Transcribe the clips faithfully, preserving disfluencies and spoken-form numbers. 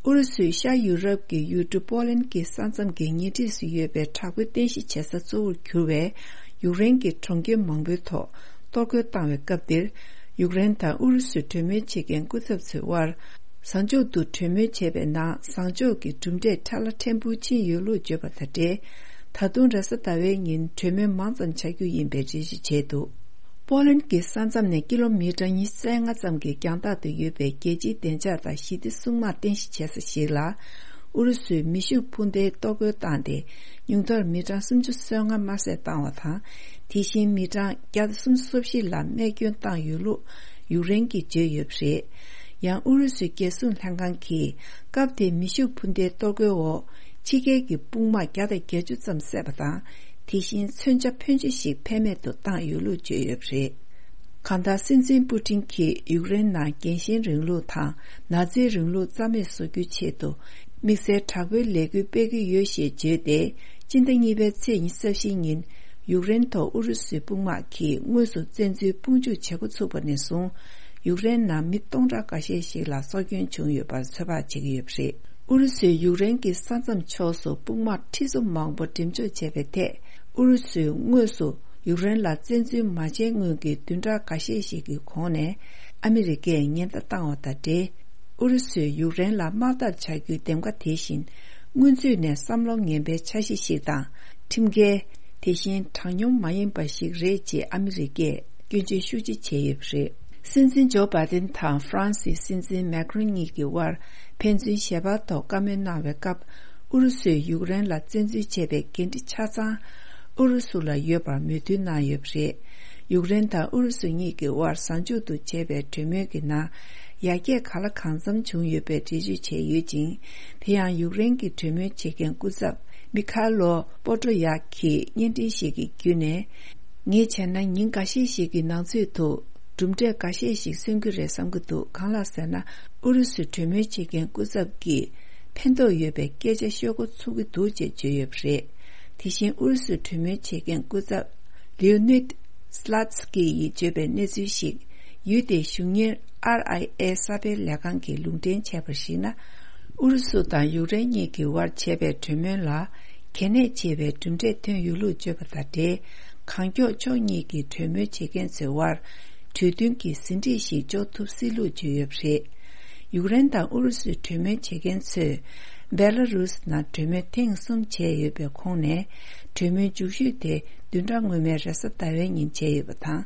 ཨུ་རུ་སུས་ཤར་ཡུ་རོབ་ཀྱི་ཡུལ་གྲུ་པོ་ལན་གྱི་ས་མཚམས་ཀྱི་ཉེ་འཁྲིས་སུ་ཡོད་པའི་དྲག་པོའི་རྟེན་གཞི་བྱེད་ས་གཙོ་བོར་གྱུར་བའི་ཡུཀ་རེན་གྱི་གྲོང་ཁྱེར་མང་པོའི་ཐོག་གཏོར་རྒོལ་བཏང་བའི་སྐབས་འདིར། ཡུཀ་རེན་དང་ཨུ་རུ་སུའི་གྲོས་མོལ་བྱེད་མཁན་སྐུ་ཚབ་ཚོའི་དབར། བཟང་ཕྱོགས་དུ་གྲོས་མོལ་བྱས་པའི་ནང་བཟང་ཕྱོགས་ཀྱི་གྲུབ་འབྲས་ཕྲ་ལ་ཕྲན་བུ་ཕྱིན་ཡོད་ལུགས་བརྗོད་པ་དང་འབྲེལ། ད་དུང་རེས་གཟའ་ཟླ་བའི་ཉིན་གྲོས་མོལ་མང་ཙམ་བྱ་རྒྱུ་ཡིན་པའི་རེ་ཞུ་བྱས་འདུག་པོ་ལན་གྱི་ས་མཚམས་ནས་ཀི་ལོ་མི་ཊར་ཉི་ཤུ་རྩ་ལྔ་ཙམ་གྱི་རྒྱང་ཐག་ཏུ་ཡོད་པའི་རྒྱལ་སྤྱིའི་བདེ་འཇགས་དང་ཞི་བདེ་སྲུང་དམག་རྟེན་གཞི་བྱེད་ས་ཞིག་ལ། ཨུ་རུ་སུས་མེ་ཤུགས་འཕུར་མདེལ་གཏོར་རྒོལ་བཏང་སྟེ། ཉུང་མཐར་མི་གྲངས་སུམ་ཅུ་སོ་ལྔ་དམར་བསད་བཏང་བ་དང་། དེ་བཞིན་མི་གྲངས་བརྒྱ་དང་སུམ་ཅུ་སོ་བཞི་ལ་རྨས་སྐྱོན་བཏང་ཡོད་ལུགས་ཡུཀ་རེན་གྱིས་བརྗོད་ཡོད་པ་རེད། ཡང་ཨུ་རུ་སུའི་རྒྱལ་སྲུང་ལྷན་ཁང་གིས་སྐབས་དེའི་མེ་ཤུགས་འཕུར་མདེལ་གཏོར་རྒོལ་འོག་ཕྱི་རྒྱལ་གྱི་དཔུང་དམག་བརྒྱ་དང་བརྒྱད་ཅུ་ཙམ་བསད་པ་དང་། དེ་བཞིན་མཚོན་ཆ་ཕོན་ཆེ་ཞིག་ཕན་མེད་དུ་བཏང་ཡོད་ལུགས་བརྗོད་ཡོད་པ་རེད། གང་ལྟར་སྲིད་འཛིན་པུ་ཏིན་གྱིས་ཡུཀ་རེན་ནང་རྒྱལ་ཞེན་རིང་ལུགས་དང་ནཱ་ཛིའི་རིང་ལུགས་རྩ་མེད་བཟོ་རྒྱུའི་ཆེད་དུ་དམིགས་བསལ་དྲག་པོའི་ལས་འགུལ་སྤེལ་གྱི་ཡོད་ཞེས་བརྗོད་དེ། སྤྱི་ཟླ་གཉིས་པའི་ཚེས་ཉི་ཤུ་རྩ་བཞི་ཉིན་ཡུཀ་རེན་ཐོག་ཨུ་རུ་སུའི་དཔུང་དམག་གིས་དངོས་སུ་བཙན་འཛུལ་དཔུང་འཇུག་བྱེད་འགོ་ཚུགས་པ་ནས་བཟུང་། ཡུཀ་རེན་ནང་མི་སྟོང་ཕྲག་འགའ་ཤས་ཤིག་ལ་སྲོག་སྐྱོན་བྱུང་ཡོད་པར་ཚོད་དཔག་བྱེད་ཀྱི་ཡོད་པ་རེད། ཨུ་རུ་སུས་ཡུཀ་རེན་གྱི་ས་མཚམས་ཕྱོགས་སུ་དཔུང་དམག་ཁྲི་ཚོ་མང་པོ་འགྲེམས་འཇོག་བྱས་པའི་ཐད། ཨུ་རུ་སུས་དངོས་སུ་ཡུཀ་རེན་ལ་བཙན་འཛུལ་མ་བྱས་སྔོན་གྱི་བདུན་ཕྲག་འགའ་ཤས་ཤིག་གི་གོང་ནས་ཨ་མི་རི་ཀས་ཉེན་བརྡ་བཏང་བ་དང་འབྲེལ། ཨུ་རུ་སུས་ཡུཀ་རེན་ལ་དམག་འཐབ་བྱ་རྒྱུའི་འདེམས་ཀ་དེ་བཞིན་སྔོན་ཚུད་ནས་བསམ་བློ་ངན་པའི་འཆར་གཞི་ཞིག་དང་ཁྲིམས་འགལ། དེ་བཞིན་དྲང་སྙོམས་མ་ཡིན་པ་ཞིག་རེད་ཅེས་ཨ་མི་རི་ཀས་སྐྱོན་བརྗོད་ཤུགས་ཆེ་བྱས་ཡོད་པ་རེད། སྲིད་འཛིན་ཇོ་བྷའི་ཏིན་དང་ཧྥ་རན་སིའི་སྲིད་འཛིན་མེག་རོན་གཉིས་ཀྱི་དབར་ཕན་ཚུན་ཞལ་པར་ཐོག་བཀའ་མོལ་གནང་བའི་སྐབས། ཨུ་རུ་སུས་ཡུཀ་རེན་ལ་བཙན་འཛུལ་བྱས་པའི་འགན་འཁྲི་ཆ་ཚང་ཨུ་རུ་སུ་ལ་ཡོད་པར་མོས་མཐུན་གནང་ཡོད་པ་རེད། ཡུཀ་རེན་དང་ཨུ་རུ་སུ་གཉིས་ཀྱི་དབར་བཟང་ཕྱོགས་དུ་བྱས་པའི་གྲོས་མོལ་གྱི་ནང་ཡར་རྒྱས་གང་ལ་གང་འཚམ་བྱུང་ཡོད་པའི་འགྲེལ་བརྗོད་བྱས་ཡོད་ཅིང་། དེ་ཡང་ཡུཀ་རེན་གྱི་གྲོས་མོལ་བྱེད་མཁན་སྐུ་ཚབ་མི་ཁ་ལོ་པོ་ཏྲོ་ཡག་གིས་བརྙན་འཕྲིན་ཞིག་གི་བརྒྱུད་ནས། ངས་བྱས་ན་ཉིན་འགའ་ཤས་ཤིག་གི་ནང་ཚུད་དུ་གྲུབ་འབྲས་འགའ་ཤས་ཤིག་སོན་གྱི་རེད་བསམ་གྱི་འདུག་གང་ལགས་ཟེར་ན། ཨུ་རུ་སུའི་གྲོས་མོལ་བྱེད་མཁན་སྐུ་ཚབ་ཀྱིས་ཕན་ཐོགས་ཡོད་པའི་སྐད་ཆ་ཤོད་འགོ་ཚུགས་ཀྱི་འདུག་ཅེས་བརྗོད་ཡོད་པ་རེད། དེ་བཞིན་ཨུ་རུ་སུའི་གྲོས་མོལ་བྱེད་མཁན་སྐུ་ཚབ་ལིའོ་ནིད་སི་ལ་ཚི་ཀི་ཡིས་བརྗོད་པའི་གནས་ཚུལ་ཞིག་ཡུལ་དེའི་གཞུང་གཉེར་ཨར་ཨའི་ཨེ་གསར་སྤེལ་ལས་ཁང་གིས་ལུང་འདྲེན་བྱས་པར་གཞིགས་ན། ཨུ་རུ་སུ་དང་ཡུཀ་རེན་གཉིས་ཀྱི་དབར་བྱས་པའི་གྲོས་མོལ་ལ་གལ་གནད་ཆེ་བའི་གྲུབ་འབྲས་ཐོན་ཡོད་ལུགས་བརྗོད་པ་དང་འབྲེལ། གང་མགྱོགས་ཕྱོགས་གཉིས་ཀྱི་གྲོས་མོལ་བྱེད་མཁན་ཚོའི་དབར་གྲོས་མཐུན་གྱི་ཟིན་བྲིས་ཤིག་འཇོག་ཐུབ་སྲིད་ལུགས་བརྗོད་ཡོད་པ་རེད། ཡུཀ་རེན་དང་ཨུ་རུ་སུའི་གྲོས་མོལ་བྱེད་མཁན་ཚོས་སྦེ་ལ་རུས་ནང་གྲོས་མོལ་ཐེངས་གསུམ་བྱས་ཡོད་པའི་ཁོངས་ནས། གྲོས་མོལ་མཇུག་ཤོས་དེ་བདུན་ཕྲག་སྔོན་མའི་རེས་གཟའ་ཟླ་བའི་ཉིན་བྱས་ཡོད་པ་དང་།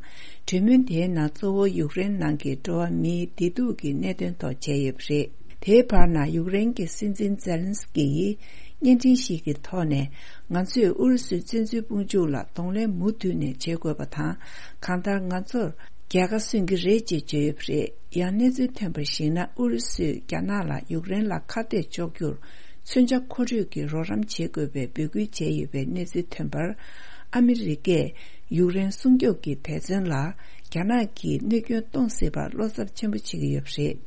གྲོས་མོལ་དེའི་ནང་གཙོ་བོ་ཡུཀ་རེན་ནང་གི་འགྲོ་བ་མིའི་བདེ་སྡུག་གི་གནད་དོན་ཐོག་བྱས་ཡོད་པ་རེད། དེའི་བར་ན་ཡུཀ་རེན་གྱི་སྲིད་འཛིན་ཛེ་ལན་སི་ཀི་ཡིས་བརྙན་འཕྲིན་ཞིག་གི་ཐོག་ནས། ང་ཚོས་ཨུ་རུ་སུའི་བཙན་འཛུལ་དཔུང་འཇུག་ལ་གདོང་ལེན་མུ་མཐུད་ནས་བྱེད་དགོས་པ་དང་། གང་ལྟར་ང་ཚོར་རྒྱལ་ཁ་སོན་གྱི་རེད་ཅེས་བརྗོད་ཡོད་པ་རེད། ཡང་གནས་ཚུལ་ཐོན་པར་གཞིགས་ན། ཨུ་རུ་སུས་རྒྱ་ནག་ལ་ཡུཀ་རེན་ལ་ཁ་གཏད་གཅོག་རྒྱུར་མཚོན་ཆ་མཁོ་སྤྲོད་ཀྱི་རོགས་རམ་བྱེད་དགོས་པའི་འབོད་སྐུལ་བྱས་ཡོད་པའི་གནས་ཚུལ་ཐོན་པར། ཨ་མི་རི་ཀས་ཡུཀ་རེན་སྲུང་སྐྱོབ་ཀྱི་འབད་བརྩོན་ལ་རྒྱ་ནག་གིས་གནོད་སྐྱོན་གཏོང་སྲིད་པར་བློ་འཚབ་ཆེན་པོ་བྱེད་ཀྱི་ཡོད་པ་རེད།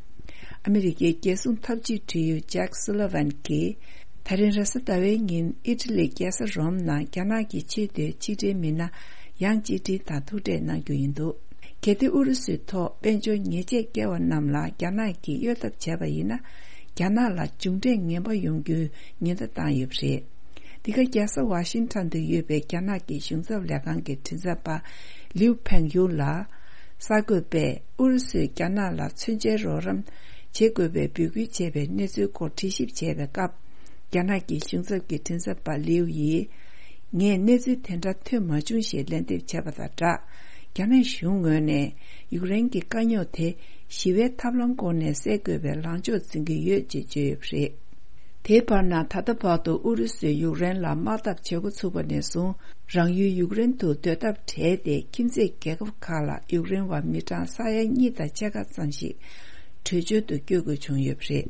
ཨ་མི་རི་ཀའི་རྒྱལ་སྲུང་འཐབ་ཇུས་དྲི་ཡུལ་ཇེག་སུ་ལི་ཝན་གྱིས། ད་རིང་རེས་གཟའ་ཟླ་བའི་ཉིན་ཨི་ཊ་ལིའི་རྒྱལ་ས་རོམ་ནང་རྒྱ་ནག་གི་ཆེས་མཐོའི་ཕྱི་འབྲེལ་མི་སྣ་ཡང་ཅི་ཀྲིན་དང་ཐུག་འཕྲད་གནང་རྒྱུ་ཡིན་འདུག་གལ་ཏེ་ཨུ་རུ་སུའི་ཐོག་དཔལ་འབྱོར་ཉེས་ཆད་བཀལ་བ་རྣམས་ལ་རྒྱ་ནག་གིས་གཡོལ་ཐབས་བྱས་པ་ཡིན་ན། རྒྱ་ནག་ལ་མཇུག་འབྲས་ངན་པ་ཡོང་རྒྱུའི་ཉེན་བརྡ་བཏང་ཡོད་པ་རེད། འདི་ག་རྒྱལ་ས་ཝ་ཤིང་ཊོན་དུ་ཡོད་པའི་རྒྱ་ནག་གི་གཞུང་ཚབ་ལས་ཁང་གི་མགྲིན་ཚབ་པ་ལིའུ་ཕེང་ཡུང་ལ། གསར་འགོད་པས་ཨུ་རུ་སུས་རྒྱ་ནག་ལ་མཚོན་ཆའི་རོགས་རམ་བྱེད་དགོས་པའི་འབོད་སྐུལ་བྱས་པའི་གནས་ཚུལ་སྐོར་དྲི་ཞིབ་བྱས་པའི་སྐབས། རྒྱ་ནག་གི་གཞུང་ཚབ་ཀྱི་མགྲིན་ཚབ་པ་ལིའུ་ཡིས། ངས་གནས་ཚུལ་དེ་འདྲ་ཐོན་མ་བྱུང་ཞེས་ལན་འདེབས་བྱས་པ་དང་སྦྲགས། རྒྱ་ནག་གཞུང་ངོས་ནས་ཡུཀ་རེན་གྱི་དཀའ་རྙོག་དེ་ཞི་བའི་ཐབས་ལམ་སྐོར་ནས་སེལ་དགོས་པའི་ལངས་ཕྱོགས་འཛིན་གྱི་ཡོད་ཅེས་བརྗོད་ཡོད་པ་རེད། དེའི་བར་ན་ད་ལྟ་བར་དུ་ཨུ་རུ་སུས་ཡུཀ་རེན་ལ་དམག་འཐབ་བྱེད་འགོ་ཚུགས་པ་ནས་བཟུང་། རང་ཡུལ་ཡུཀ་རེན་དུ་སྡོད་ཐབས་བྲལ་ཏེ། ཁྱིམ་མཚེས་རྒྱལ་ཁབ་ཁག་ལ་ཡུཀ་རེན་བ་མི་གྲངས་ས་ཡ་གཉིས་དང་ཕྱེད་ཀ་ཙམ་ཞིག་བྲོས་བྱོལ་དུ་བསྐྱོད་དགོས་བྱུང་ཡོད་པ་རེད།